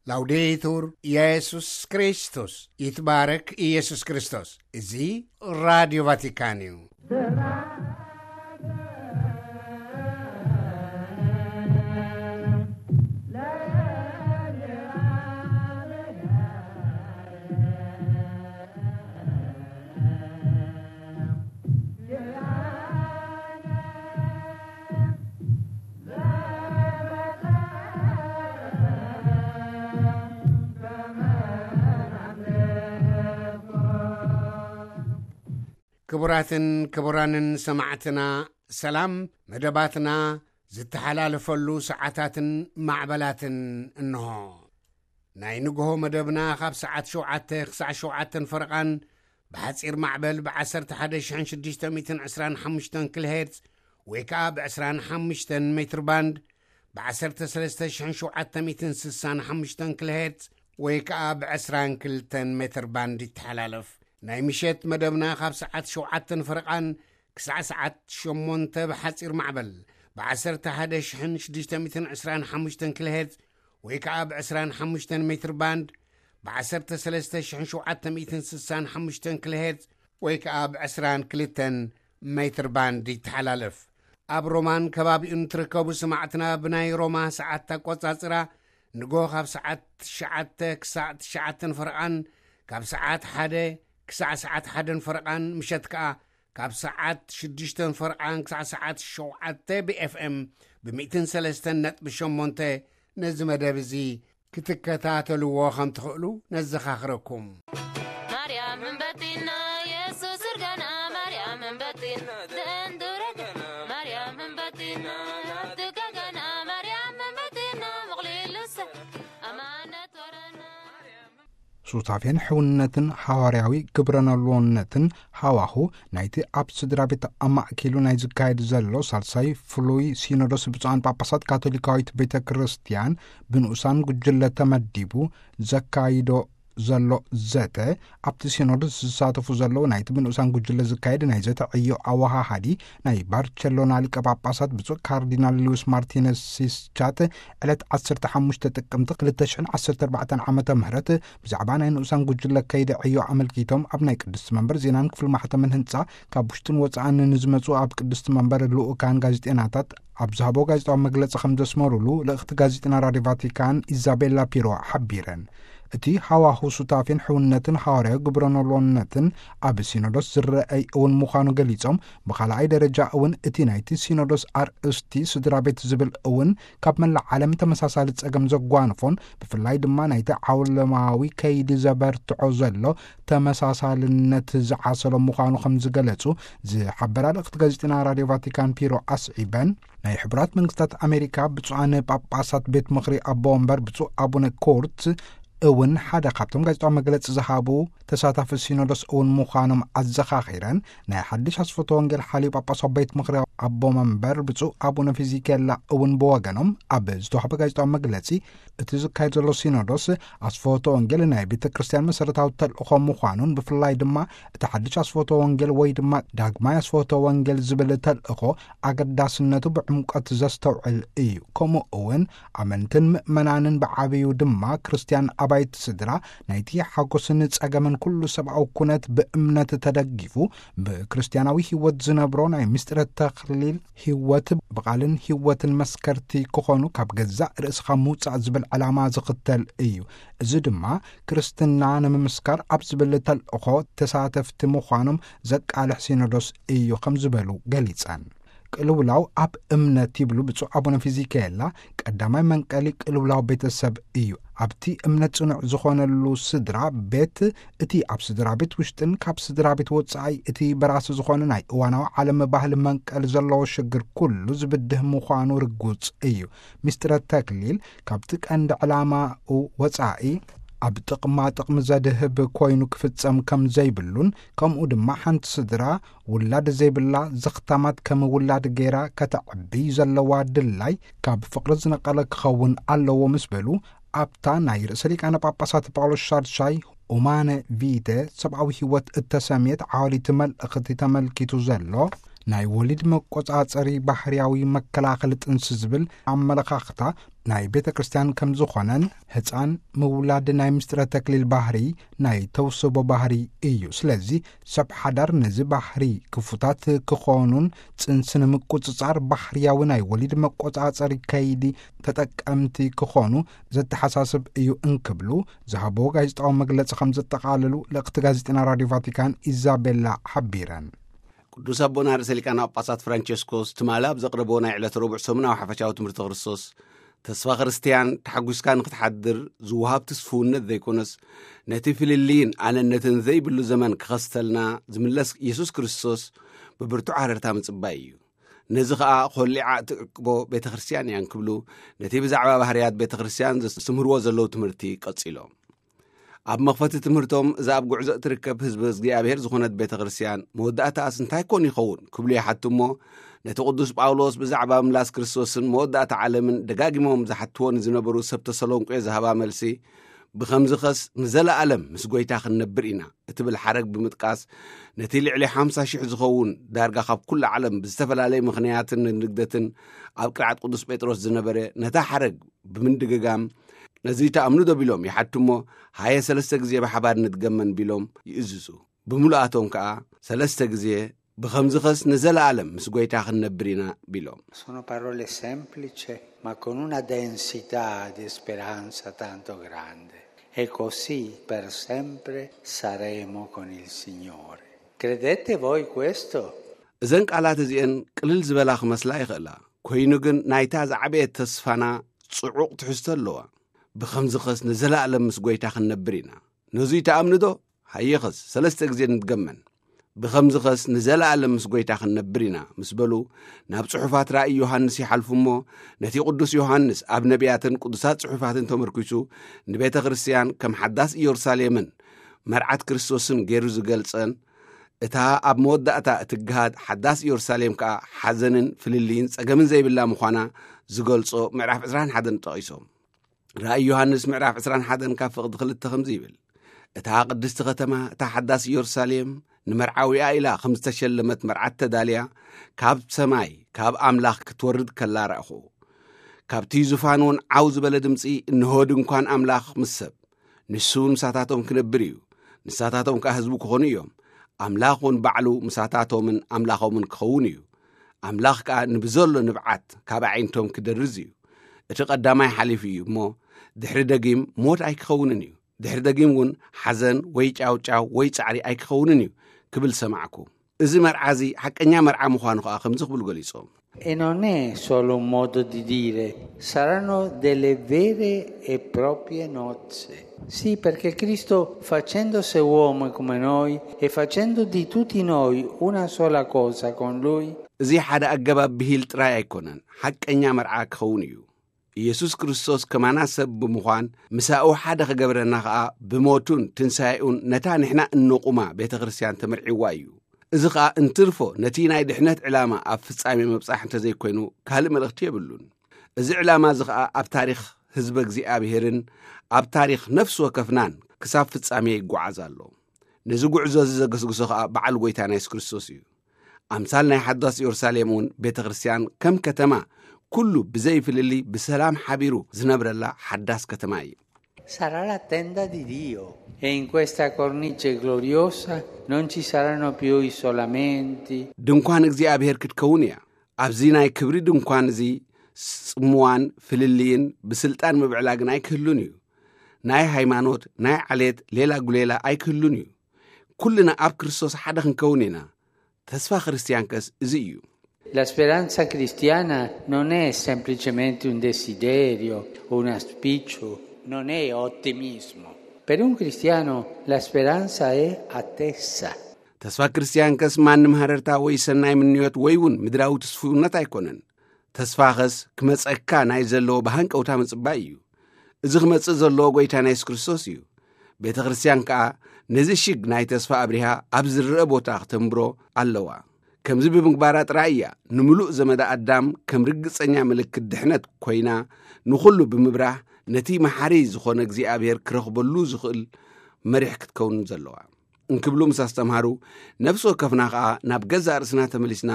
ላውዴቱር ኢየሱስ ክርስቶስ፣ ይትባረክ ኢየሱስ ክርስቶስ። እዚ ራዲዮ ቫቲካን እዩ። ክቡራትን ክቡራንን ሰማዕትና፣ ሰላም። መደባትና ዝተሓላለፈሉ ሰዓታትን ማዕበላትን እንሆ። ናይ ንግሆ መደብና ካብ ሰዓት ሸውዓተ ክሳዕ ሸውዓተን ፈረቓን ብሓጺር ማዕበል ብ11,625 ኪሎ ሄርዝ ወይ ከኣ ብ25 ሜትር ባንድ ብ ዓሰርተ ሰለስተ ሽሕን ሸውዓተ ሚእትን ስሳን ሓሙሽተን ኪሎ ሄርዝ ወይ ከኣ ብ22 ሜትር ባንድ ይተሓላለፍ። ናይ ምሸት መደብና ካብ ሰዓት ሸውዓተን ፈረቓን ክሳዕ ሰዓት ሸሞንተ ብሓጺር ማዕበል ብ11,625 ኪሎ ሄርዝ ወይ ከኣ ብ25 ሜትር ባንድ ብ13,765 ኪሎ ሄርዝ ወይ ከኣ ብ22 ሜትር ባንድ ይተሓላለፍ። ኣብ ሮማን ከባቢኡን ትርከቡ ሰማዕትና፣ ብናይ ሮማ ሰዓት ኣቆጻጽራ ንጎ ካብ ሰዓት ትሽዓተ ክሳዕ ትሽዓተን ፈረቓን፣ ካብ ሰዓት ሓደ ክሳዕ ሰዓት ሓደን ፈረቓን፣ ምሸት ከኣ ካብ ሰዓት ሽዱሽተን ፈረቓን ክሳዕ ሰዓት ሸውዓተ ብ ኤፍ ኤም ብ ሚእትን ሰለስተን ነጥቢ ሸሞንተ ነዚ መደብ እዚ ክትከታተልዎ ከም ትኽእሉ ነዘኻኽረኩም። ማርያም እምበቲና የሱስ እርጋና፣ ማርያም እምበቲና ደንዱረገና፣ ማርያም እምበቲና ትጋጋና፣ ማርያም እምበቲና ምቕሊሉሰ ኣማነት ወረና። ሱታፌን ሕውነትን ሓዋርያዊ ግብረ ኖልዎነትን ሃዋሁ ናይቲ ኣብ ስድራ ቤት ኣማእኪሉ ናይ ዝካየድ ዘሎ ሳልሳይ ፍሉይ ሲኖዶስ ብፁዓን ጳጳሳት ካቶሊካዊት ቤተ ክርስቲያን ብንኡሳን ጉጅለ ተመዲቡ ዘካይዶ ዘሎ ዘተ፣ ኣብቲ ሲኖዶስ ዝሳተፉ ዘለዉ ናይቲ ብንኡሳን ጉጅለ ዝካየድ ናይ ዘተ ዕዮ ኣወሃሃዲ ናይ ባርቸሎና ሊቀ ጳጳሳት ብፁዕ ካርዲናል ሉዊስ ማርቲነስ ሲስቻት ዕለት ዓሰርተ ሓሙሽተ ጥቅምቲ ክልተ ሽሕን ዓሰርተ ኣርባዕተን ዓመተ ምህረት ብዛዕባ ናይ ንኡሳን ጉጅለ ከይዲ ዕዮ ኣመልኪቶም ኣብ ናይ ቅድስቲ መንበር ዜናን ክፍሊ ማሕተምን ህንጻ ካብ ውሽጥን ወጻእን ንዝመጹ ኣብ ቅድስቲ መንበር ልኡካን ጋዜጤናታት ኣብ ዝሃቦ ጋዜጣዊ መግለጺ ከም ዘስመሩሉ ልእኽቲ ጋዜጠና ራድዮ ቫቲካን ኢዛቤላ ፒሮ ሓቢረን። እቲ ሃዋሁ ሱታፌን ሕውነትን ሃዋርያዊ ግብረ ኖልዎነትን ኣብ ሲኖዶስ ዝረአይ እውን ምዃኑ ገሊጾም፣ ብኻልኣይ ደረጃ እውን እቲ ናይቲ ሲኖዶስ ኣርእስቲ ስድራ ቤት ዝብል እውን ካብ መላእ ዓለም ተመሳሳሊ ጸገም ዘጓንፎን ብፍላይ ድማ ናይቲ ዓውለማዊ ከይዲ ዘበርትዖ ዘሎ ተመሳሳልነት ዝዓሰሎ ምዃኑ ከም ዝገለጹ ዝሓበራ ልእኽቲ ጋዜጠና ራድዮ ቫቲካን ፒሮ ኣስዒበን፣ ናይ ሕቡራት መንግስታት ኣሜሪካ ብፁዓን ጳጳሳት ቤት ምኽሪ ኣቦ ወንበር ብፁዕ ኣቡነ ኮርት እውን ሓደ ካብቶም ጋዜጣዊ መግለጺ ዝሃቡ ተሳታፊ ሲኖዶስ እውን ምዃኖም ኣዘኻኺረን፣ ናይ ሓድሽ ኣስፈቶ ወንጌል ሓልዩ ጳጳሳዊ ቤት ምኽሪ ኣቦ መንበር ብፁዕ ኣቡነ ፊዚኬላ እውን ብወገኖም ኣብ ዝተዋህበ ጋዜጣዊ መግለጺ፣ እቲ ዝካየድ ዘሎ ሲኖዶስ ኣስፈቶ ወንጌል ናይ ቤተ ክርስቲያን መሰረታዊ ተልእኾ ምዃኑን ብፍላይ ድማ እቲ ሓድሽ ኣስፈቶ ወንጌል ወይ ድማ ዳግማይ ኣስፈቶ ወንጌል ዝብል ተልእኾ ኣገዳስነቱ ብዕምቆት ዘስተውዕል እዩ። ከምኡ እውን ኣመንትን ምእመናንን ብዓብዩ ድማ ክርስቲያን ኣባይቲ ስድራ ናይቲ ሓጎስን ጸገምን ኩሉ ሰብኣዊ ኩነት ብእምነት ተደጊፉ ብክርስቲያናዊ ህይወት ዝነብሮ ናይ ምስጢረ ተኽሊል ህይወት ብቓልን ህይወትን መስከርቲ ክኾኑ ካብ ገዛእ ርእስኻ ምውጻእ ዝብል ዕላማ ዝኽተል እዩ። እዚ ድማ ክርስትና ንምምስካር ኣብ ዝብል ተልእኾ ተሳተፍቲ ምዃኖም ዘቃልሕ ሲኖዶስ እዩ ከም ዝበሉ ገሊጸን። ቅልውላው ኣብ እምነት ይብሉ ብፁዕ ኣቡነ ፊዚካኤላ፣ ቀዳማይ መንቀሊ ቅልውላው ቤተሰብ እዩ። ኣብቲ እምነት ጽኑዕ ዝኾነሉ ስድራ ቤት፣ እቲ ኣብ ስድራ ቤት ውሽጥን ካብ ስድራ ቤት ወጻኢ እቲ በራሲ ዝኾነ ናይ እዋናዊ ዓለም ባህሊ መንቀሊ ዘለዎ ሽግር ኩሉ ዝብድህ ምዃኑ ርጉጽ እዩ። ሚስጥረ ተክሊል ካብቲ ቀንዲ ዕላማኡ ወጻኢ ኣብ ጥቕማ ጥቕሚ ዘድህብ ኮይኑ ክፍጸም ከም ዘይብሉን፣ ከምኡ ድማ ሓንቲ ስድራ ውላድ ዘይብላ ዘኽታማት ከም ውላድ ገይራ ከተዕቢ ዘለዋ ድላይ ካብ ፍቕሪ ዝነቐለ ክኸውን ኣለዎ ምስ በሉ፣ ኣብታ ናይ ርእሰ ሊቃነ ጳጳሳት ጳውሎስ ሻድሻይ ኡማነ ቪተ ሰብኣዊ ህይወት እተሰምየት ዓዋሊት መልእኽቲ ተመልኪቱ ዘሎ ናይ ወሊድ መቆጻጸሪ ባህርያዊ መከላኸሊ ጥንሲ ዝብል ኣመለኻኽታ ናይ ቤተ ክርስቲያን ከም ዝኾነን፣ ህፃን ምውላድ ናይ ምስጢረ ተክሊል ባህሪ፣ ናይ ተውስቦ ባህሪ እዩ። ስለዚ ሰብ ሓዳር ነዚ ባህሪ ክፉታት ክኾኑን ጽንሲ ንምቁጽጻር ባህርያዊ ናይ ወሊድ መቆጻጸሪ ከይዲ ተጠቀምቲ ክኾኑ ዘተሓሳስብ እዩ እንክብሉ ዝሃቦ ጋዜጣዊ መግለጺ ከም ዘጠቓለሉ ልእኽቲ ጋዜጠና ራዲዮ ቫቲካን ኢዛቤላ ሓቢረን። ቅዱስ ኣቦና ርእሰ ሊቃነ ጳጳሳት ፍራንቸስኮስ ትማሊ ኣብ ዘቕረቦ ናይ ዕለት ረቡዕ ሰሙናዊ ሓፈሻዊ ትምህርቲ ክርስቶስ፣ ተስፋ ክርስትያን ተሓጒስካ ንክትሓድር ዝወሃብ ትስፍውነት ዘይኮነስ፣ ነቲ ፍልልይን ኣነነትን ዘይብሉ ዘመን ክኸስተልና ዝምለስ ኢየሱስ ክርስቶስ ብብርቱዕ ሃረርታ ምጽባይ እዩ። ነዚ ኸኣ ኾሊዓ እትዕቅቦ ቤተ ክርስትያን እያ እንክብሉ፣ ነቲ ብዛዕባ ባህርያት ቤተ ክርስትያን ዘስተምህርዎ ዘለዉ ትምህርቲ ቀጺሎም። ኣብ መኽፈቲ ትምህርቶም፣ እዛ ኣብ ጉዕዞ እትርከብ ህዝቢ እግዚኣብሔር ዝኾነት ቤተ ክርስትያን መወዳእታኣስ እንታይ ኮን ይኸውን ክብሉ ይሓቱ እሞ፣ ነቲ ቅዱስ ጳውሎስ ብዛዕባ ምላስ ክርስቶስን መወዳእታ ዓለምን ደጋጊሞም ዝሓትዎ ንዝነበሩ ሰብ ተሰሎንቄ ዝሃባ መልሲ፣ ብኸምዚ ኸስ ንዘለኣለም ምስ ጐይታ ክንነብር ኢና እትብል ሓረግ ብምጥቃስ፣ ነቲ ልዕሊ ሓምሳ ሽሕ ዝኸውን ዳርጋ ካብ ኩሉ ዓለም ብዝተፈላለየ ምኽንያትን ንግደትን ኣብ ቅርዓት ቅዱስ ጴጥሮስ ዝነበረ፣ ነታ ሓረግ ብምድግጋም፣ ነዚ ተኣምኑ ዶ ቢሎም ይሓቱ እሞ፣ ሃየ ሰለስተ ግዜ ብሓባር ንድገመን ቢሎም ይእዝዙ። ብምሉኣቶም ከኣ ሰለስተ ግዜ፣ ብኸምዚ ኸስ ንዘለኣለም ምስ ጐይታ ክንነብር ኢና ቢሎም። Sono parole semplici, ma con una densità di speranza tanto grande. E così per sempre saremo con il Signore. Credete voi questo? እዘን ቃላት እዚአን ቅልል ዝበላ ክመስላ ይኽእላ፣ ኮይኑ ግን ናይታ ዝዓበየት ተስፋና ጽዑቕ ትሕዝቶ ኣለዋ። ብኸምዚ ኸስ ንዘለኣለም ምስ ጐይታ ክንነብር ኢና። ነዙይ ተኣምኑ ዶ? ሃየኸስ ሰለስተ ግዜ ንድገመን። ብኸምዚ ኸስ ንዘለኣለም ምስ ጐይታ ክንነብር ኢና ምስ በሉ፣ ናብ ጽሑፋት ራእይ ዮሃንስ ይሓልፉ እሞ፣ ነቲ ቅዱስ ዮሃንስ ኣብ ነቢያትን ቅዱሳት ጽሑፋትን ተመርኲሱ፣ ንቤተ ክርስትያን ከም ሓዳስ ኢየሩሳሌምን መርዓት ክርስቶስን ገይሩ ዝገልጸን፣ እታ ኣብ መወዳእታ እትግሃድ ሓዳስ ኢየሩሳሌም ከኣ ሓዘንን ፍልልይን ጸገምን ዘይብላ ምዃና ዝገልጾ ምዕራፍ ዕስራን ሓደን ጠቒሶም። ራእይ ዮሃንስ ምዕራፍ ዕስራን ሓደን ካብ ፍቕዲ ክልተ ከምዚ ይብል፣ እታ ቅድስቲ ከተማ፣ እታ ሓዳስ ኢየሩሳሌም፣ ንመርዓዊኣ ኢላ ከም ዝተሸለመት መርዓት ተዳልያ፣ ካብ ሰማይ፣ ካብ ኣምላኽ ክትወርድ ከላ ረኣኹ። ካብቲ ዙፋን እውን ዓው ዝበለ ድምጺ፣ እንሆ ድንኳን ኣምላኽ ምስ ሰብ፣ ንሱ ምሳታቶም ክነብር እዩ፣ ንሳታቶም ከኣ ህዝቡ ክኾኑ እዮም። ኣምላኽ እውን ባዕሉ ምሳታቶምን ኣምላኾምን ክኸውን እዩ። ኣምላኽ ከኣ ንብዘሎ ንብዓት ካብ ኣዒንቶም ክደርዝ እዩ። እቲ ቀዳማይ ሓሊፉ እዩ እሞ፣ ድሕሪ ደጊም ሞት ኣይክኸውንን እዩ። ድሕሪ ደጊም እውን ሓዘን ወይ ጫውጫው ወይ ጻዕሪ ኣይክኸውንን እዩ ክብል ሰማዕኩ። እዚ መርዓ እዚ ሓቀኛ መርዓ ምዃኑ ከኣ ከምዚ ክብሉ ገሊጾም። E non è solo un modo di dire, saranno delle vere e proprie nozze. Sì, perché Cristo, facendose uomo come noi e facendo di tutti noi una sola cosa con Lui, እዚ ሓደ ኣገባብ ብሂል ጥራይ ኣይኮነን፣ ሓቀኛ መርዓ ክኸውን እዩ። ኢየሱስ ክርስቶስ ከማና ሰብ ብምዃን፣ ምሳኡ ሓደ ክገብረና ኸኣ ብሞቱን ትንሳኤኡን ነታ ንሕና እንቑማ ቤተ ክርስትያን ተመርዒዋ እዩ። እዚ ኸኣ እንትርፎ ነቲ ናይ ድሕነት ዕላማ ኣብ ፍጻሜ ምብጻሕ እንተዘይኮይኑ ካልእ መልእኽቲ የብሉን። እዚ ዕላማ እዚ ኸኣ ኣብ ታሪኽ ህዝበ እግዚኣብሔርን ኣብ ታሪኽ ነፍሲ ወከፍናን ክሳብ ፍጻሜ ይጓዓዝ ኣሎ። ነዚ ጉዕዞ እዚ ዘገስግሶ ኸኣ በዓል ጐይታና የሱስ ክርስቶስ እዩ። ኣምሳል ናይ ሓዳስ ኢየሩሳሌም እውን ቤተ ክርስትያን ከም ከተማ ኩሉ ብዘይ ፍልልይ ብሰላም ሓቢሩ ዝነብረላ ሓዳስ ከተማ እዩ። Sarà la tenda di Dio e in questa cornice gloriosa non ci saranno più isolamenti. ድንኳን እግዚኣብሔር ክትከውን እያ። ኣብዚ ናይ ክብሪ ድንኳን እዚ ጽምዋን ፍልልይን ብስልጣን ምብዕላግን ኣይክህሉን እዩ። ናይ ሃይማኖት፣ ናይ ዓሌት ሌላ ጉሌላ ኣይክህሉን እዩ። ኩልና ኣብ ክርስቶስ ሓደ ክንከውን ኢና። ተስፋ ክርስትያንከስ እዚ እዩ። La speranza cristiana non è semplicemente un desiderio, un auspicio, non è ottimismo. Per un cristiano la speranza è attesa. ተስፋ ክርስትያንከስ ማንም ሃረርታ ወይ ሰናይ ምንዮት ወይ እውን ምድራዊ ትስፉውነት ኣይኮነን። ተስፋኸስ ክመጸካ ናይ ዘለዎ ብሃንቀውታ ምጽባይ እዩ። እዚ ክመጽእ ዘለዎ ጐይታና የሱስ ክርስቶስ እዩ። ቤተ ክርስትያን ከኣ ነዚ ሽግ ናይ ተስፋ ኣብሪሃ ኣብ ዝረአ ቦታ ክተንብሮ ኣለዋ። ከምዚ ብምግባራ ጥራይ እያ ንምሉእ ዘመዳ ኣዳም ከም ርግጸኛ ምልክት ድሕነት ኮይና፣ ንኹሉ ብምብራህ ነቲ መሓሪ ዝኾነ እግዚኣብሔር ክረኽበሉ ዝኽእል መሪሕ ክትከውን ዘለዋ። እንክብሉ ምስ ኣስተምሃሩ፣ ነፍሲ ወከፍና ኸኣ ናብ ገዛእ ርእስና ተመሊስና፣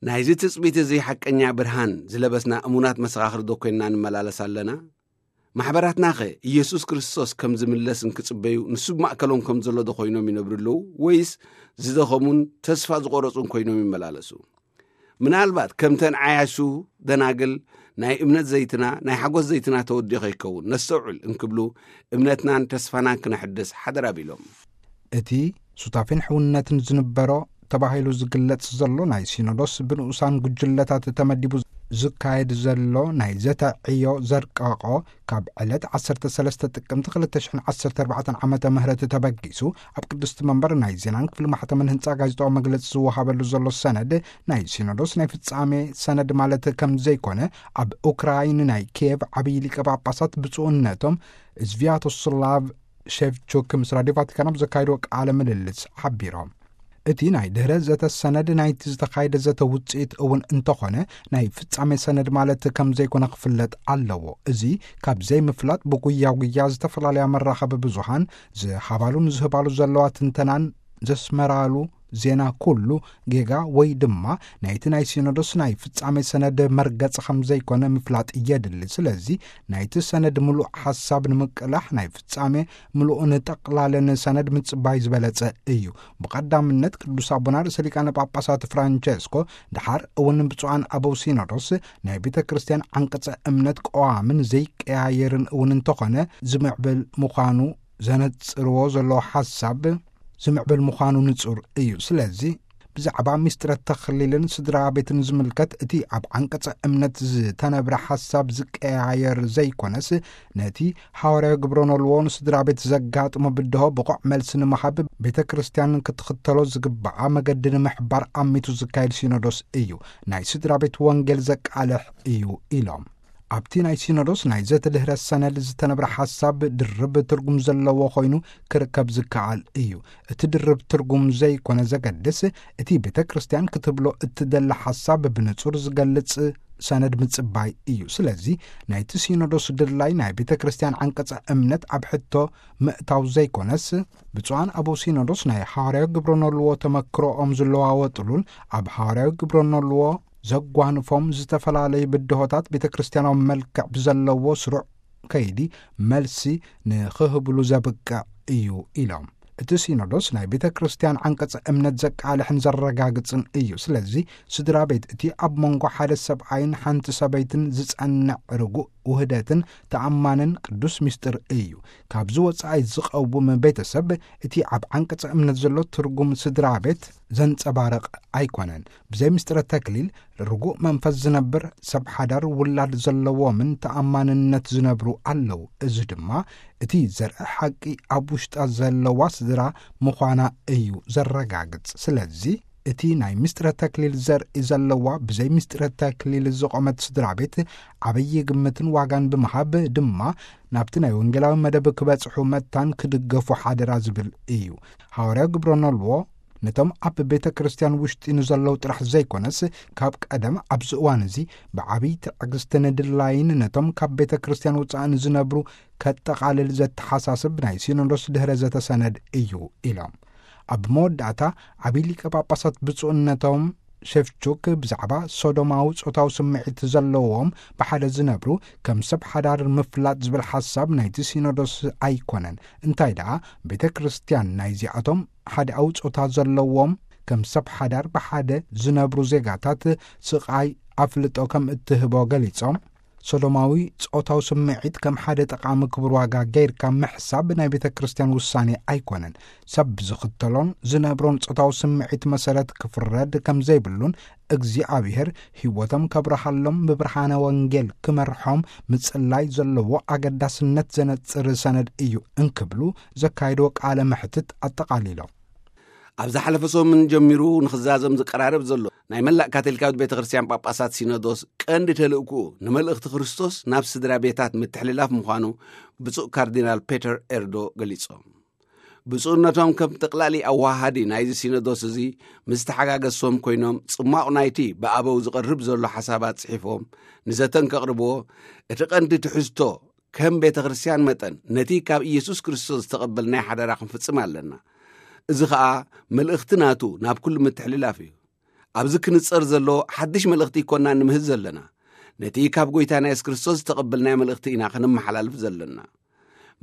ናይዚ ትጽቢት እዚ ሓቀኛ ብርሃን ዝለበስና እሙናት መሰኻኽር ዶ ኮይንና ንመላለስ ኣለና? ማሕበራትናኸ ኢየሱስ ክርስቶስ ከም ዝምለስ እንክጽበዩ ንሱ ብማእከሎም ከም ዘሎ ዶ ኮይኖም ይነብሩ ኣለዉ? ወይስ ዝደኸሙን ተስፋ ዝቖረጹን ኮይኖም ይመላለሱ? ምናልባት ከምተን ዓያሹ ደናግል ናይ እምነት ዘይትና፣ ናይ ሓጎስ ዘይትና ተወዲኦ ከይከውን ነስተውዕል እንክብሉ እምነትናን ተስፋናን ክነሕድስ ሓደራ ቢሎም። እቲ ሱታፌን ሕውነትን ዝንበሮ ተባሂሉ ዝግለጽ ዘሎ ናይ ሲኖዶስ ብንኡሳን ጉጅለታት ተመዲቡ ዝካየድ ዘሎ ናይ ዘተ ዕዮ ዘርቀቆ ካብ ዕለት ዓሰርተ ሰለስተ ጥቅምቲ ክልተ ሽሕን ዓሰርተ ኣርባዕተን ዓመተ ምህረት ተበጊሱ ኣብ ቅድስቲ መንበር ናይ ዜናን ክፍሊ ማሕተምን ህንጻ ጋዜጣዊ መግለጺ ዝወሃበሉ ዘሎ ሰነድ ናይ ሲኖዶስ ናይ ፍጻሜ ሰነድ ማለት ከም ዘይኮነ ኣብ ኡክራይን ናይ ኪየቭ ዓብዪ ሊቀ ጳጳሳት ብፁዕነቶም ዝቪያቶስላቭ ሸቭቹክ ምስ ራድዮ ቫቲካን ኣብ ዘካየድዎ ቃለ ምልልስ ሓቢሮም። እቲ ናይ ድህረ ዘተ ሰነድ ናይቲ ዝተኻየደ ዘተ ውጽኢት እውን እንተኾነ ናይ ፍጻሜ ሰነድ ማለት ከም ዘይኮነ ክፍለጥ ኣለዎ። እዚ ካብ ዘይምፍላጥ ብጉያ ጉያ ዝተፈላለያ መራኸቢ ብዙሃን ዝሃባሉን ዝህባሉ ዘለዋ ትንተናን ዘስመራሉ ዜና ኩሉ ጌጋ ወይ ድማ ናይቲ ናይ ሲኖዶስ ናይ ፍጻሜ ሰነድ መርገጽ ከም ዘይኮነ ምፍላጥ የድሊ። ስለዚ ናይቲ ሰነድ ምሉእ ሓሳብ ንምቅላሕ ናይ ፍጻሜ ምሉእን ጠቕላልን ሰነድ ምጽባይ ዝበለጸ እዩ። ብቐዳምነት ቅዱስ ኣቦና ርእሰ ሊቃነ ጳጳሳት ፍራንቸስኮ ድሓር እውን ብፁዓን ኣበው ሲኖዶስ ናይ ቤተ ክርስቲያን ዓንቀጸ እምነት ቀዋምን ዘይቀያየርን እውን እንተኾነ ዝምዕብል ምዃኑ ዘነጽርዎ ዘለዉ ሓሳብ ዝምዕብል ምዃኑ ንጹር እዩ። ስለዚ ብዛዕባ ሚስጥረ ተኽሊልን ስድራ ቤትን ዝምልከት እቲ ኣብ ዓንቀጸ እምነት ዝተነብረ ሓሳብ ዝቀያየር ዘይኮነስ ነቲ ሓዋርያዊ ግብረ ኖልዎ ንስድራ ቤት ዘጋጥሞ ብድሆ ብቑዕ መልሲ ንምሃብ ቤተ ክርስቲያን ክትኽተሎ ዝግብኣ መገዲ ንምሕባር ኣሚቱ ዝካየድ ሲኖዶስ እዩ። ናይ ስድራ ቤት ወንጌል ዘቃልሕ እዩ ኢሎም። ኣብቲ ናይ ሲኖዶስ ናይ ዘተድህረ ሰነድ ዝተነብረ ሓሳብ ድርብ ትርጉም ዘለዎ ኮይኑ ክርከብ ዝከኣል እዩ። እቲ ድርብ ትርጉም ዘይኮነ ዘገድስ እቲ ቤተ ክርስቲያን ክትብሎ እትደሊ ሓሳብ ብንጹር ዝገልጽ ሰነድ ምጽባይ እዩ። ስለዚ ናይቲ ሲኖዶስ ድላይ ናይ ቤተ ክርስቲያን ዓንቀጸ እምነት ኣብ ሕቶ ምእታው ዘይኮነስ ብፁዓን ኣበው ሲኖዶስ ናይ ሓዋርያዊ ግብረ ኖልዎ ተመክሮኦም ዝለዋወጥሉን ኣብ ሓዋርያዊ ግብረ ኖልዎ ዘጓንፎም ዝተፈላለዩ ብድሆታት ቤተ ክርስቲያናዊ መልክዕ ብዘለዎ ስሩዕ ከይዲ መልሲ ንኽህብሉ ዘብቅዕ እዩ ኢሎም። እቲ ሲኖዶስ ናይ ቤተ ክርስቲያን ዓንቀጸ እምነት ዘቃልሕን ዘረጋግጽን እዩ። ስለዚ ስድራ ቤት እቲ ኣብ መንጎ ሓደ ሰብኣይን ሓንቲ ሰበይትን ዝጸንዕ ርጉእ ውህደትን ተኣማንን ቅዱስ ምስጢር እዩ። ካብዚ ወጻኢ ዝቐውም ቤተሰብ እቲ ኣብ ዓንቀጸ እምነት ዘሎ ትርጉም ስድራ ቤት ዘንጸባርቕ ኣይኮነን። ብዘይ ምስጢረ ተክሊል ርጉእ መንፈስ ዝነብር ሰብ ሓዳር ውላድ ዘለዎምን ተኣማንነት ዝነብሩ ኣለዉ። እዚ ድማ እቲ ዘርኢ ሓቂ ኣብ ውሽጣ ዘለዋ ስድራ ምዃና እዩ ዘረጋግጽ። ስለዚ እቲ ናይ ምስጢረ ተክሊል ዘርኢ ዘለዋ ብዘይ ምስጢረ ተክሊል ዝቖመት ስድራ ቤት ዓብዪ ግምትን ዋጋን ብምሃብ ድማ ናብቲ ናይ ወንጌላዊ መደብ ክበጽሑ መታን ክድገፉ ሓደራ ዝብል እዩ። ሓዋርያዊ ግብረ ኖልዎ ነቶም ኣብ ቤተ ክርስቲያን ውሽጢ ንዘለዉ ጥራሕ ዘይኮነስ ካብ ቀደም ኣብዚ እዋን እዚ ብዓብዪ ትዕግስትን ድላይን ነቶም ካብ ቤተ ክርስቲያን ውጻእ ንዝነብሩ ከጠቓልል ዘተሓሳስብ ናይ ሲኖዶስ ድህረ ዘተሰነድ እዩ ኢሎም። ኣብ መወዳእታ ዓብዪ ሊቀ ጳጳሳት ብፁዕነቶም ሸፍቹክ ብዛዕባ ሶዶማዊ ጾታዊ ስምዒት ዘለዎም ብሓደ ዝነብሩ ከም ሰብ ሓዳር ምፍላጥ ዝብል ሓሳብ ናይቲ ሲኖዶስ ኣይኮነን። እንታይ ደኣ ቤተ ክርስቲያን ናይዚኣቶም ሓደኣዊ ጾታ ዘለዎም ከም ሰብ ሓዳር ብሓደ ዝነብሩ ዜጋታት ስቓይ ኣፍልጦ ከም እትህቦ ገሊጾም፣ ሶዶማዊ ጾታዊ ስምዒት ከም ሓደ ጠቓሚ ክቡር ዋጋ ገይርካ ምሕሳብ ናይ ቤተ ክርስቲያን ውሳኔ ኣይኮነን። ሰብ ብዝኽተሎን ዝነብሮን ጾታዊ ስምዒት መሰረት ክፍረድ ከም ዘይብሉን እግዚኣብሔር ህይወቶም ከብርሃሎም ብብርሃነ ወንጌል ክመርሖም ምጽላይ ዘለዎ ኣገዳስነት ዘነጽር ሰነድ እዩ እንክብሉ ዘካየድዎ ቃለ መሕትት ኣጠቓሊሎም። ኣብ ዝሓለፈ ሰሙን ጀሚሩ ንኽዛዘም ዝቀራረብ ዘሎ ናይ መላእ ካቶሊካዊት ቤተ ክርስቲያን ጳጳሳት ሲኖዶስ ቀንዲ ተልእኩኡ ንመልእኽቲ ክርስቶስ ናብ ስድራ ቤታት ምትሕልላፍ ምዃኑ ብፁዕ ካርዲናል ፔተር ኤርዶ ገሊጾም። ብፁዕነቶም ከም ጠቕላሊ ኣዋሃዲ ናይዚ ሲኖዶስ እዚ ምስ ተሓጋገዝሶም ኮይኖም ጽማቕ ናይቲ ብኣበው ዝቐርብ ዘሎ ሓሳባት ጽሒፎም ንዘተን ከቕርብዎ እቲ ቀንዲ ትሕዝቶ ከም ቤተ ክርስቲያን መጠን ነቲ ካብ ኢየሱስ ክርስቶስ ዝተቐበልናይ ሓደራ ክንፍጽም ኣለና። እዚ ኸኣ መልእኽቲ ናቱ ናብ ኩሉ ምትሕልላፍ እዩ። ኣብዚ ክንጸር ዘሎ ሓድሽ መልእኽቲ ይኮና ንምህዝ ዘለና። ነቲ ካብ ጐይታና የሱስ ክርስቶስ ዝተቐበልናዮ መልእኽቲ ኢና ከነመሓላልፍ ዘለና።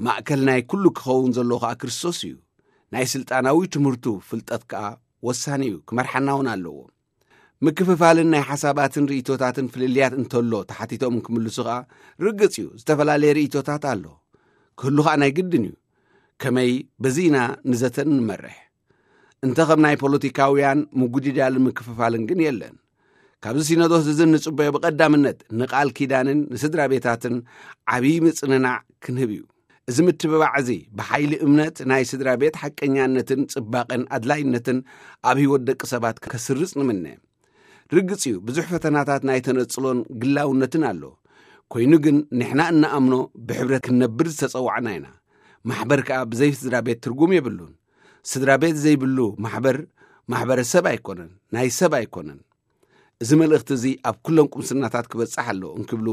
ማእከል ናይ ኩሉ ክኸውን ዘለዎ ኸኣ ክርስቶስ እዩ። ናይ ስልጣናዊ ትምህርቱ ፍልጠት ከኣ ወሳኒ እዩ፣ ክመርሓና እውን ኣለዎ። ምክፍፋልን ናይ ሓሳባትን ርእይቶታትን ፍልልያት እንተሎ ተሓቲቶም ክምልሱ ኸኣ፣ ርግጽ እዩ፣ ዝተፈላለየ ርእይቶታት ኣሎ። ክህሉ ኸኣ ናይ ግድን እዩ። ከመይ በዚ ኢና ንዘተን ንመርሕ። እንተ ኸም ናይ ፖለቲካውያን ምጉድዳልን ምክፍፋልን ግን የለን። ካብዚ ሲኖዶስ እዚ እንጽበዮ ብቐዳምነት ንቃል ኪዳንን ንስድራ ቤታትን ዓብዪ ምጽንናዕ ክንህብ እዩ። እዚ ምትብባዕ እዚ ብሓይሊ እምነት ናይ ስድራ ቤት ሓቀኛነትን ጽባቐን ኣድላይነትን ኣብ ህይወት ደቂ ሰባት ከስርጽ ንምነ። ርግጽ እዩ፣ ብዙሕ ፈተናታት ናይ ተነጽሎን ግላውነትን ኣሎ። ኮይኑ ግን ንሕና እንኣምኖ ብሕብረት ክንነብር ዝተጸዋዕና ኢና። ማሕበር ከኣ ብዘይ ስድራ ቤት ትርጉም የብሉን። ስድራ ቤት ዘይብሉ ማሕበር፣ ማሕበረሰብ ኣይኮነን፣ ናይ ሰብ ኣይኮነን። እዚ መልእኽቲ እዚ ኣብ ኩለን ቁምስናታት ክበጽሕ ኣለዎ እንክብሉ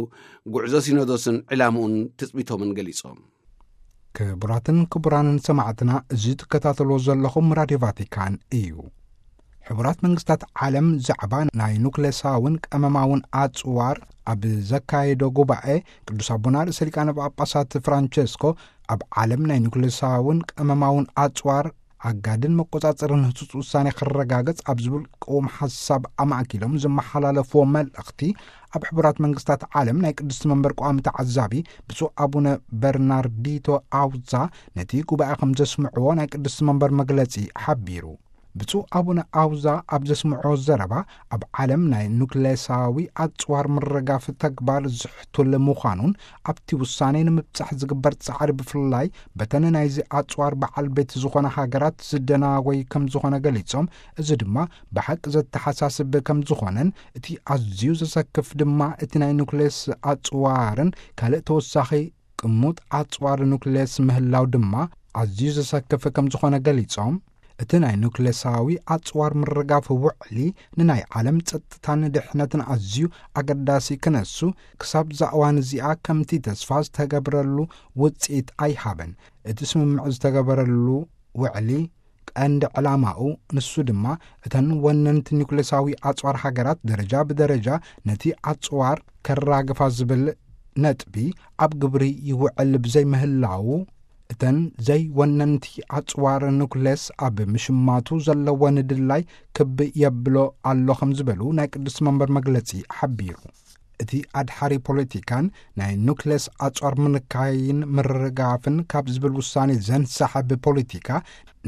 ጉዕዞ ሲኖዶስን ዕላምኡን ትጽቢቶምን ገሊጾም። ክቡራትን ክቡራንን ሰማዕትና፣ እዚ ትከታተልዎ ዘለኹም ራድዮ ቫቲካን እዩ። ሕቡራት መንግስታት ዓለም ዛዕባ ናይ ኑክሌሳውን ቀመማውን ኣጽዋር ኣብ ዘካየዶ ጉባኤ፣ ቅዱስ ኣቦና ርእሰ ሊቃነ ጳጳሳት ፍራንቸስኮ፣ ኣብ ዓለም ናይ ኑክሌሳውን ቀመማውን ኣጽዋር ኣጋድን መቆጻጸርን ህጹጽ ውሳኔ ክረጋገጽ ኣብ ዝብል ቅውም ሓሳብ ኣማእኪሎም ዝመሓላለፍዎ መልእኽቲ፣ ኣብ ሕቡራት መንግስታት ዓለም ናይ ቅድስቲ መንበር ቋሚ ተዓዛቢ ብፁዕ ኣቡነ በርናርዲቶ ኣውዛ ነቲ ጉባኤ ከም ዘስምዕዎ ናይ ቅድስቲ መንበር መግለጺ ሓቢሩ። ብፁዕ ኣቡነ ኣውዛ ኣብ ዘስምዕዎ ዘረባ፣ ኣብ ዓለም ናይ ኑክሌሳዊ ኣጽዋር ምርጋፍ ተግባር ዝሕቱል ምዃኑን፣ ኣብቲ ውሳኔ ንምብጻሕ ዝግበር ጻዕሪ ብፍላይ በተን ናይዚ ኣጽዋር በዓል ቤት ዝኾነ ሃገራት ዝደናጎይ ከም ዝኾነ ገሊጾም፣ እዚ ድማ ብሓቂ ዘተሓሳስብ ከም ዝኾነን፣ እቲ ኣዝዩ ዘሰክፍ ድማ እቲ ናይ ኑክሌስ ኣጽዋርን ካልእ ተወሳኺ ቅሙጥ ኣጽዋር ኑክሌስ ምህላው ድማ ኣዝዩ ዘሰክፍ ከም ዝኾነ ገሊጾም፣ እቲ ናይ ኑክሌሳዊ ኣጽዋር ምርጋፍ ውዕሊ ንናይ ዓለም ጸጥታን ድሕነትን ኣዝዩ ኣገዳሲ ክነሱ፣ ክሳብ እዛ እዋን እዚኣ ከምቲ ተስፋ ዝተገብረሉ ውጽኢት ኣይሃበን። እቲ ስምምዕ ዝተገበረሉ ውዕሊ ቀንዲ ዕላማኡ ንሱ ድማ እተን ወነንቲ ኒውክሌሳዊ ኣጽዋር ሃገራት ደረጃ ብደረጃ ነቲ ኣጽዋር ከራግፋ ዝብል ነጥቢ ኣብ ግብሪ ይውዕል ብዘይምህላዉ፣ እተን ዘይወነንቲ ኣጽዋር ኑክሌስ ኣብ ምሽማቱ ዘለወን ድላይ ክብ የብሎ ኣሎ ከም ዝበሉ ናይ ቅድስቲ መንበር መግለጺ ሓቢሩ። እቲ ኣድሓሪ ፖለቲካን ናይ ኑክሌስ ኣጽዋር ምንካይን ምርጋፍን ካብ ዝብል ውሳኔ ዘንሳሕብ ፖለቲካ፣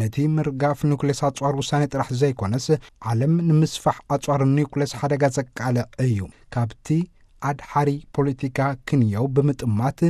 ነቲ ምርጋፍ ኑክሌስ ኣጽዋር ውሳኔ ጥራሕ ዘይኮነስ፣ ዓለም ንምስፋሕ ኣጽዋር ኑክሌስ ሓደጋ ዘቃልዕ እዩ። ካብቲ ኣድሓሪ ፖለቲካ ክንየው ብምጥማት፣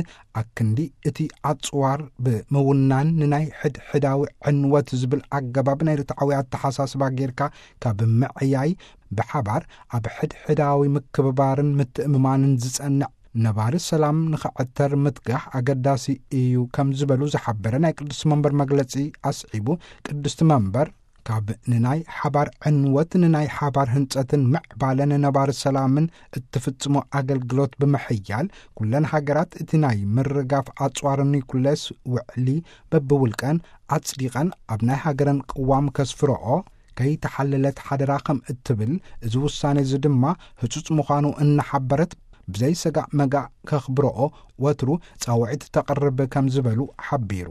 ኣክንዲ እቲ ኣጽዋር ብምውናን ንናይ ሕድሕዳዊ ዕንወት ዝብል ኣገባብ ናይ ርትዓዊ ኣተሓሳስባ ጌርካ ካብ ምዕያይ፣ ብሓባር ኣብ ሕድሕዳዊ ምክብባርን ምትእምማንን ዝጸንዕ ነባሪ ሰላም ንኽዕተር ምትጋህ ኣገዳሲ እዩ ከም ዝበሉ ዝሓበረ ናይ ቅድስቲ መንበር መግለጺ ኣስዒቡ፣ ቅድስቲ መንበር ካብ ንናይ ሓባር ዕንወት ንናይ ሓባር ህንጸትን ምዕባለን ነባሪ ሰላምን እትፍጽሞ ኣገልግሎት ብምሕያል፣ ኩለን ሃገራት እቲ ናይ ምርጋፍ ኣጽዋር ኒኩሌስ ውዕሊ በብውልቀን ኣጽዲቐን ኣብ ናይ ሃገረን ቅዋም ከስፍረኦ ከይተሓለለት ሓደራ ከም እትብል፣ እዚ ውሳኔ እዚ ድማ ህጹጽ ምዃኑ እናሓበረት፣ ብዘይ ሰጋእ መጋእ ከኽብረኦ ወትሩ ጻውዒት ተቕርብ ከም ዝበሉ ሓቢሩ።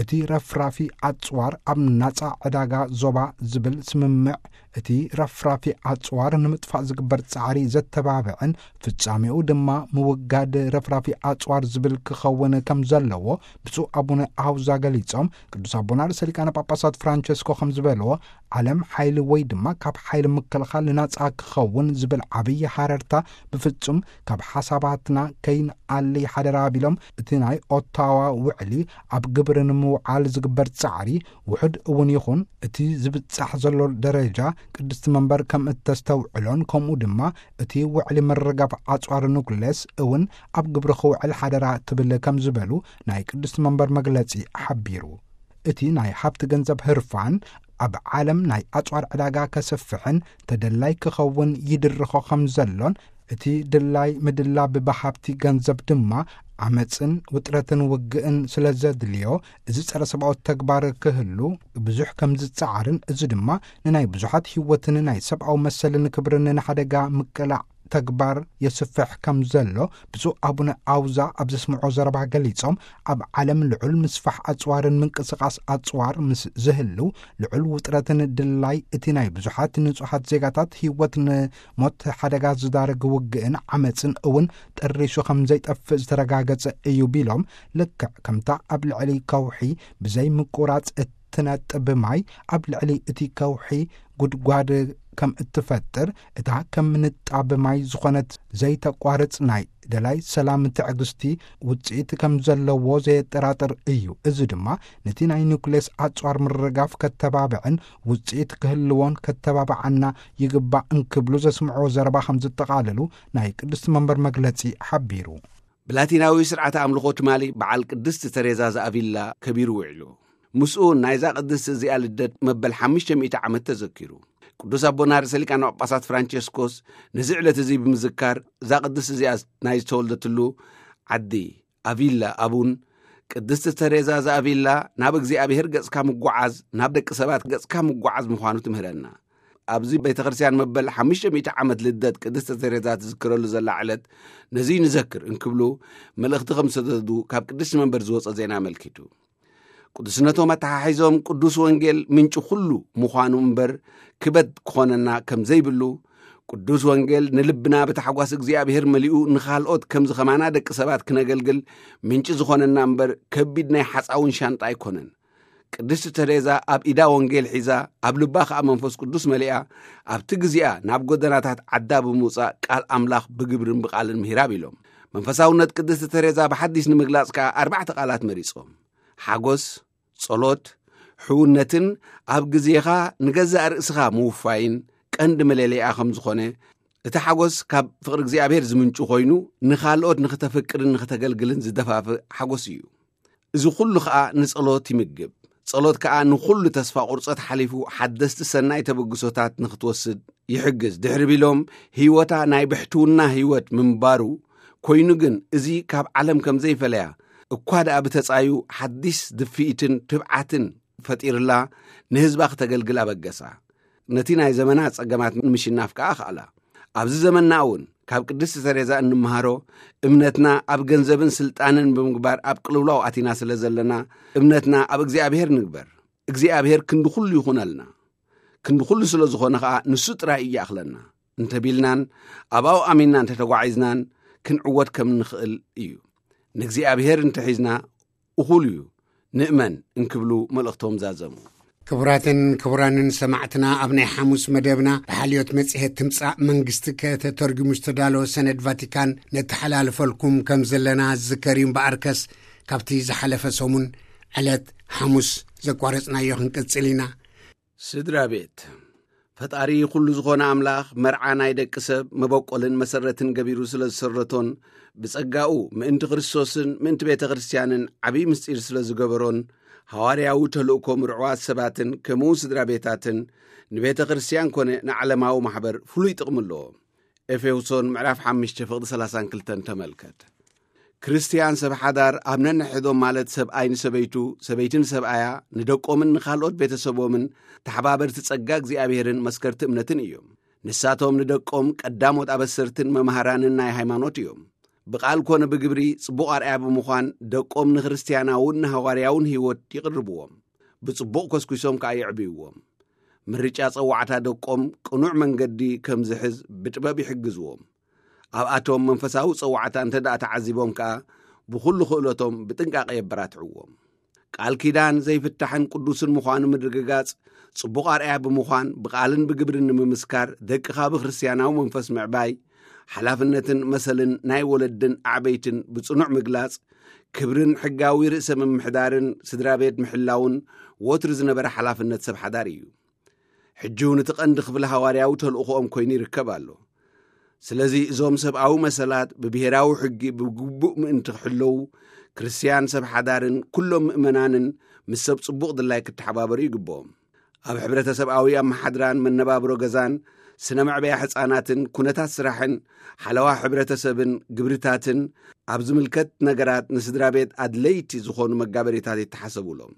እቲ ረፍራፊ ኣጽዋር ኣብ ናጻ ዕዳጋ ዞባ ዝብል ስምምዕ፣ እቲ ረፍራፊ ኣጽዋር ንምጥፋእ ዝግበር ጻዕሪ ዘተባብዕን ፍጻሜኡ ድማ ምውጋድ ረፍራፊ ኣጽዋር ዝብል ክኸውን ከም ዘለዎ ብፁዕ ኣቡነ ኣውዛ ገሊጾም፣ ቅዱስ ኣቦና ርእሰ ሊቃነ ጳጳሳት ፍራንቸስኮ ከም ዝበልዎ፣ ዓለም ሓይሊ ወይ ድማ ካብ ሓይሊ ምክልኻል ናጻ ክኸውን ዝብል ዓብዪ ሃረርታ ብፍጹም ካብ ሓሳባትና ከይንኣሊ ሓደራ ቢሎም፣ እቲ ናይ ኦታዋ ውዕሊ ኣብ ግብሪ ንምውዓል ዝግበር ጻዕሪ ውሑድ እውን ይኹን፣ እቲ ዝብጻሕ ዘሎ ደረጃ ቅድስቲ መንበር ከም እተስተውዕሎን፣ ከምኡ ድማ እቲ ውዕሊ ምርጋፍ ኣጽዋር ኑክሌስ እውን ኣብ ግብሪ ክውዕል ሓደራ ትብል ከም ዝበሉ ናይ ቅድስቲ መንበር መግለጺ ሓቢሩ። እቲ ናይ ሃብቲ ገንዘብ ህርፋን ኣብ ዓለም ናይ ኣጽዋር ዕዳጋ ከሰፍሕን ተደላይ ክኸውን ይድርኾ ከም ዘሎን፣ እቲ ድላይ ምድላብ ብሃብቲ ገንዘብ ድማ ዓመፅን ውጥረትን ውግእን ስለ ዘድልዮ፣ እዚ ጸረ ሰብኣዊ ተግባር ክህሉ ብዙሕ ከም ዝጸዓርን፣ እዚ ድማ ንናይ ብዙሓት ህይወትን ናይ ሰብኣዊ መሰልን ክብርን ንሓደጋ ምቅላዕ ተግባር የስፍሕ ከም ዘሎ ብፁዕ ኣቡነ ኣውዛ ኣብ ዘስምዖ ዘረባ ገሊጾም፣ ኣብ ዓለም ልዑል ምስፋሕ ኣጽዋርን ምንቅስቓስ ኣጽዋር ምስ ዝህልው፣ ልዑል ውጥረትን ድላይ እቲ ናይ ብዙሓት ንጹሓት ዜጋታት ህይወት ንሞት ሓደጋ ዝዳርግ ውግእን ዓመጽን እውን ጠሪሱ ከም ዘይጠፍእ ዝተረጋገጸ እዩ ቢሎም፣ ልክዕ ከምታ ኣብ ልዕሊ ከውሒ ብዘይ ምቁራጽ እትነጥብ ማይ ኣብ ልዕሊ እቲ ከውሒ ጉድጓድ ከም እትፈጥር፣ እታ ከም ንጣብ ማይ ዝኾነት ዘይተቋርጽ ናይ ደላይ ሰላም ትዕግስቲ ውጽኢት ከም ዘለዎ ዘየጠራጥር እዩ። እዚ ድማ ነቲ ናይ ኒውክሌስ ኣጽዋር ምርጋፍ ከተባብዕን ውጽኢት ክህልዎን ከተባብዓና ይግባእ እንክብሉ ዘስምዕዎ ዘረባ ከም ዝጠቓለሉ ናይ ቅድስቲ መንበር መግለጺ ሓቢሩ። ብላቲናዊ ስርዓተ ኣምልኾ ትማሊ በዓል ቅድስቲ ተሬዛ ዘኣቪላ ከቢሩ ውዒሉ። ምስኡ ናይዛ ቅድስቲ እዚኣ ልደት መበል ሓሙሽተ ሚእቲ ዓመት ተዘኪሩ። ቅዱስ ኣቦና ርእሰ ሊቃነ ጳጳሳት ፍራንቸስኮስ ነዚ ዕለት እዚ ብምዝካር፣ እዛ ቅድስቲ እዚኣ ናይ ዝተወልደትሉ ዓዲ ኣቪላ ኣቡን፣ ቅድስቲ ተሬዛ ዘኣቪላ ናብ እግዚኣብሔር ገጽካ ምጓዓዝ፣ ናብ ደቂ ሰባት ገጽካ ምጓዓዝ ምዃኑ ትምህረና። ኣብዚ ቤተ ክርስቲያን መበል ሓሙሽተ ሚእቲ ዓመት ልደት ቅድስቲ ተሬዛ ትዝክረሉ ዘላ ዕለት ነዚ ንዘክር እንክብሉ መልእኽቲ ከም ዝሰደዱ ካብ ቅድስቲ መንበር ዝወጸ ዜና ኣመልኪቱ። ቅዱስነቶም ኣተሓሒዞም ቅዱስ ወንጌል ምንጪ ኩሉ ምዃኑ እምበር ክበት ክኾነና ከም ዘይብሉ፣ ቅዱስ ወንጌል ንልብና ብታሕጓስ እግዚኣብሔር መሊኡ ንኻልኦት ከምዚ ኸማና ደቂ ሰባት ክነገልግል ምንጪ ዝኾነና እምበር ከቢድ ናይ ሓጻውን ሻንጣ ኣይኮነን። ቅድስቲ ተሬዛ ኣብ ኢዳ ወንጌል ሒዛ፣ ኣብ ልባ ኸኣ መንፈስ ቅዱስ መሊኣ፣ ኣብቲ ግዜኣ ናብ ጎደናታት ዓዳ ብምውጻእ ቃል ኣምላኽ ብግብርን ብቓልን ምሂራ ቢሎም። መንፈሳውነት ቅድስቲ ተሬዛ ብሓዲስ ንምግላጽ ከኣ ኣርባዕተ ቃላት መሪጾም። ሓጎስ፣ ጸሎት፣ ሕውነትን ኣብ ግዜኻ ንገዛእ ርእስኻ ምውፋይን ቀንዲ መለለይኣ ከም ዝኾነ፣ እቲ ሓጎስ ካብ ፍቕሪ እግዚኣብሔር ዝምንጩ ኮይኑ፣ ንኻልኦት ንኽተፍቅርን ንኽተገልግልን ዝደፋፍእ ሓጎስ እዩ። እዚ ኩሉ ከኣ ንጸሎት ይምግብ። ጸሎት ከኣ ንኹሉ ተስፋ ቁርጸት ሓሊፉ ሓደስቲ ሰናይ ተበግሶታት ንኽትወስድ ይሕግዝ። ድሕሪ ቢሎም ህይወታ ናይ ብሕትውና ህይወት ምንባሩ ኮይኑ ግን፣ እዚ ካብ ዓለም ከም ዘይፈለያ እኳ ደኣ ብተጻዩ ሓዲስ ድፍኢትን ትብዓትን ፈጢርላ ንህዝባ ክተገልግል ኣበገሳ። ነቲ ናይ ዘመና ጸገማት ንምሽናፍ ከኣ ኣኽኣላ። ኣብዚ ዘመንና እውን ካብ ቅድስቲ ተሬዛ እንመሃሮ፣ እምነትና ኣብ ገንዘብን ስልጣንን ብምግባር ኣብ ቅልውላው ኣቲና ስለ ዘለና፣ እምነትና ኣብ እግዚኣብሔር ንግበር። እግዚኣብሔር ክንዲ ኩሉ ይኹነልና። ክንዲ ኩሉ ስለ ዝኾነ ኸኣ ንሱ ጥራይ እዩ ይኣኽለና እንተቢልናን ኣብኣው ኣሚንና እንተተጓዒዝናን ክንዕወት ከም ንኽእል እዩ። ንእግዚኣብሔር እንተሒዝና እኹል እዩ፣ ንእመን እንክብሉ መልእኽቶም ዛዘሙ። ክቡራትን ክቡራንን ሰማዕትና፣ ኣብ ናይ ሓሙስ መደብና ብሓልዮት መጽሔት ትምጻእ መንግስቲ ከተተርጉሙ ዝተዳለወ ሰነድ ቫቲካን ነተሓላልፈልኩም ከም ዘለና ዝዝከር እዩ። እምበኣርከስ ካብቲ ዝሓለፈ ሰሙን ዕለት ሓሙስ ዘቋረጽናዮ ክንቅጽል ኢና። ስድራ ቤት። ፈጣሪ ኩሉ ዝኾነ ኣምላኽ መርዓ ናይ ደቂ ሰብ መበቆልን መሰረትን ገቢሩ ስለ ዝሰረቶን ብጸጋኡ ምእንቲ ክርስቶስን ምእንቲ ቤተ ክርስቲያንን ዓብዪ ምስጢር ስለ ዝገበሮን፣ ሃዋርያዊ ተልእኮ ምርዑዋት ሰባትን ከምኡ ስድራ ቤታትን ንቤተ ክርስቲያን ኮነ ንዓለማዊ ማሕበር ፍሉይ ጥቕሚ ኣለዎ። ኤፌሶን ምዕራፍ ሓሙሽተ ፍቕዲ ሰላሳን ክልተን ተመልከት። ክርስትያን ሰብ ሓዳር ኣብ ነንሕዶም ማለት ሰብኣይ ንሰበይቱ፣ ሰበይቲ ንሰብኣያ፣ ንደቆምን ንኻልኦት ቤተሰቦምን ተሓባበርቲ ጸጋ እግዚኣብሔርን መስከርቲ እምነትን እዮም። ንሳቶም ንደቆም ቀዳሞት ኣበሰርትን መምሃራንን ናይ ሃይማኖት እዮም። ብቓል ኮነ ብግብሪ ጽቡቕ ኣርኣያ ብምዃን ደቆም ንክርስትያናውን ንሃዋርያውን ህይወት ይቕርብዎም። ብጽቡቕ ኮስኲሶም ከኣ የዕብይዎም። ምርጫ ጸዋዕታ ደቆም ቅኑዕ መንገዲ ከም ዝሕዝ ብጥበብ ይሕግዝዎም። ኣብኣቶም መንፈሳዊ ጸዋዕታ እንተ ደኣ ተዓዚቦም ከኣ ብኹሉ ክእለቶም ብጥንቃቐ የበራትዕዎም። ቃል ኪዳን ዘይፍታሕን ቅዱስን ምዃኑ ምድርግጋጽ፣ ጽቡቕ ኣርኣያ ብምዃን ብቓልን ብግብርን ንምምስካር፣ ደቅኻ ብክርስትያናዊ መንፈስ ምዕባይ፣ ሓላፍነትን መሰልን ናይ ወለድን ኣዕበይትን ብጽኑዕ ምግላጽ፣ ክብርን ሕጋዊ ርእሰ ምምሕዳርን ስድራ ቤት ምሕላውን ወትሩ ዝነበረ ሓላፍነት ሰብ ሓዳር እዩ። ሕጂ እውን እቲ ቀንዲ ክፍሊ ሃዋርያዊ ተልእኾኦም ኮይኑ ይርከብ ኣሎ። ስለዚ እዞም ሰብኣዊ መሰላት ብብሄራዊ ሕጊ ብግቡእ ምእንቲ ክሕለዉ፣ ክርስትያን ሰብ ሓዳርን ኩሎም ምእመናንን ምስ ሰብ ጽቡቕ ድላይ ክተሓባበሩ ይግብኦም። ኣብ ሕብረተሰብኣዊ ኣመሓድራን መነባብሮ ገዛን፣ ስነ መዕበያ ሕጻናትን ኩነታት ስራሕን፣ ሓለዋ ሕብረተሰብን ግብርታትን፣ ኣብ ዝምልከት ነገራት ንስድራ ቤት ኣድለይቲ ዝኾኑ መጋበሪታት ይተሓሰቡሎም።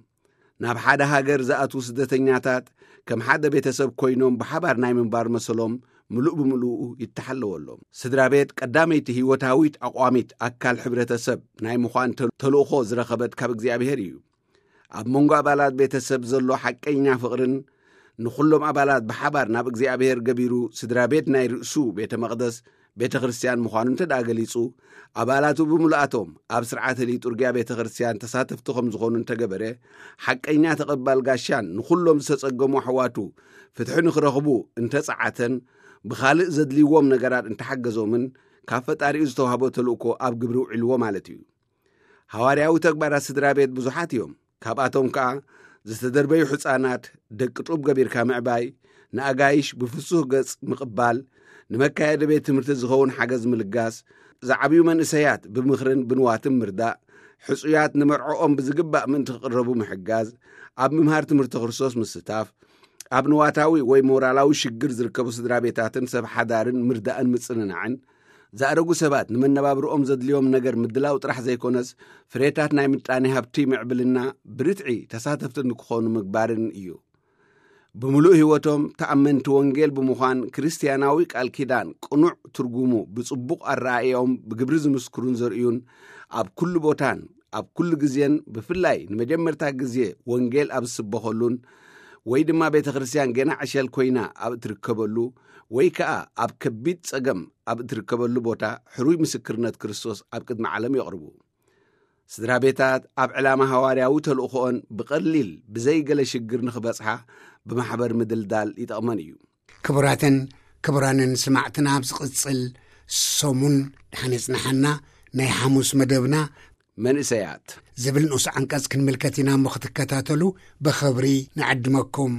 ናብ ሓደ ሃገር ዝኣትዉ ስደተኛታት ከም ሓደ ቤተሰብ ኮይኖም ብሓባር ናይ ምንባር መሰሎም ምሉእ ብምሉኡ ይተሓለወሎም። ስድራ ቤት ቀዳመይቲ ህይወታዊት ኣቋሚት ኣካል ሕብረተሰብ ናይ ምዃን ተል-፣ ተልእኾ ዝረኸበት ካብ እግዚኣብሔር እዩ። ኣብ መንጎ ኣባላት ቤተሰብ ዘሎ ሓቀኛ ፍቕርን ንኹሎም ኣባላት ብሓባር ናብ እግዚኣብሔር ገቢሩ ስድራ ቤት ናይ ርእሱ ቤተ መቕደስ ቤተ ክርስቲያን ምዃኑ እንተ ደኣ ገሊጹ፣ ኣባላቱ ብምልኣቶም ኣብ ስርዓተ ሊጡርግያ ቤተ ክርስቲያን ተሳተፍቲ ከም ዝኾኑ እንተገበረ፣ ሓቀኛ ተቐባል ጋሻን ንኹሎም ዝተጸገሙ ኣሕዋቱ ፍትሒ ንኽረኽቡ እንተጸዓተን፣ ብኻልእ ዘድልይዎም ነገራት እንተሓገዞምን፣ ካብ ፈጣሪኡ ዝተዋህቦ ተልእኮ ኣብ ግብሪ ውዒልዎ ማለት እዩ። ሃዋርያዊ ተግባራት ስድራ ቤት ብዙሓት እዮም። ካብኣቶም ከኣ ዝተደርበዩ ሕፃናት ደቂ ጡብ ገቢርካ ምዕባይ፣ ንኣጋይሽ ብፍሱህ ገጽ ምቕባል፣ ንመካየዲ ቤት ትምህርቲ ዝኸውን ሓገዝ ምልጋስ፣ ዝዓብዩ መንእሰያት ብምኽርን ብንዋትን ምርዳእ፣ ሕጹያት ንመርዕኦም ብዝግባእ ምእንቲ ክቕረቡ ምሕጋዝ፣ ኣብ ምምሃር ትምህርቲ ክርስቶስ ምስታፍ፣ ኣብ ንዋታዊ ወይ ሞራላዊ ሽግር ዝርከቡ ስድራ ቤታትን ሰብ ሓዳርን ምርዳእን ምጽንናዕን፣ ዝኣረጉ ሰባት ንመነባብርኦም ዘድልዮም ነገር ምድላው ጥራሕ ዘይኮነስ፣ ፍሬታት ናይ ምጣኔ ሃብቲ ምዕብልና ብርትዒ ተሳተፍቲ ንክኾኑ ምግባርን እዩ። ብምሉእ ህይወቶም ተኣመንቲ ወንጌል ብምዃን፣ ክርስትያናዊ ቃል ኪዳን ቅኑዕ ትርጉሙ ብጽቡቕ ኣረኣእያኦም ብግብሪ ዝምስክሩን ዘርእዩን፣ ኣብ ኩሉ ቦታን ኣብ ኩሉ ግዜን፣ ብፍላይ ንመጀመርታ ግዜ ወንጌል ኣብ ዝስበኸሉን ወይ ድማ ቤተ ክርስቲያን ገና ዕሸል ኮይና ኣብ እትርከበሉ ወይ ከኣ ኣብ ከቢድ ጸገም ኣብ እትርከበሉ ቦታ፣ ሕሩይ ምስክርነት ክርስቶስ ኣብ ቅድሚ ዓለም የቕርቡ። ስድራ ቤታት ኣብ ዕላማ ሃዋርያዊ ተልእኾኦን ብቐሊል ብዘይ ገለ ሽግር ንኽበጽሓ ብማሕበር ምድልዳል ይጠቕመን እዩ። ክቡራትን ክቡራንን ስማዕትና፣ ኣብ ዝቕጽል ሰሙን ደሓን የጽንሓና ናይ ሓሙስ መደብና መንእሰያት ዝብል ንኡስ ዓንቀጽ ክንምልከት ኢና እሞ ክትከታተሉ ብኽብሪ ንዕድመኩም።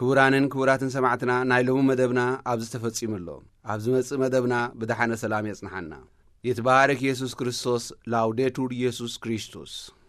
ክቡራንን ክቡራትን ሰማዕትና፣ ናይ ሎሚ መደብና ኣብዚ ተፈጺሙ ኣሎ። ኣብ ዝመጽእ መደብና ብደሓነ ሰላም የጽንሓና። ይትባረክ የሱስ ክርስቶስ። ላውዴቱር የሱስ ክርስቶስ።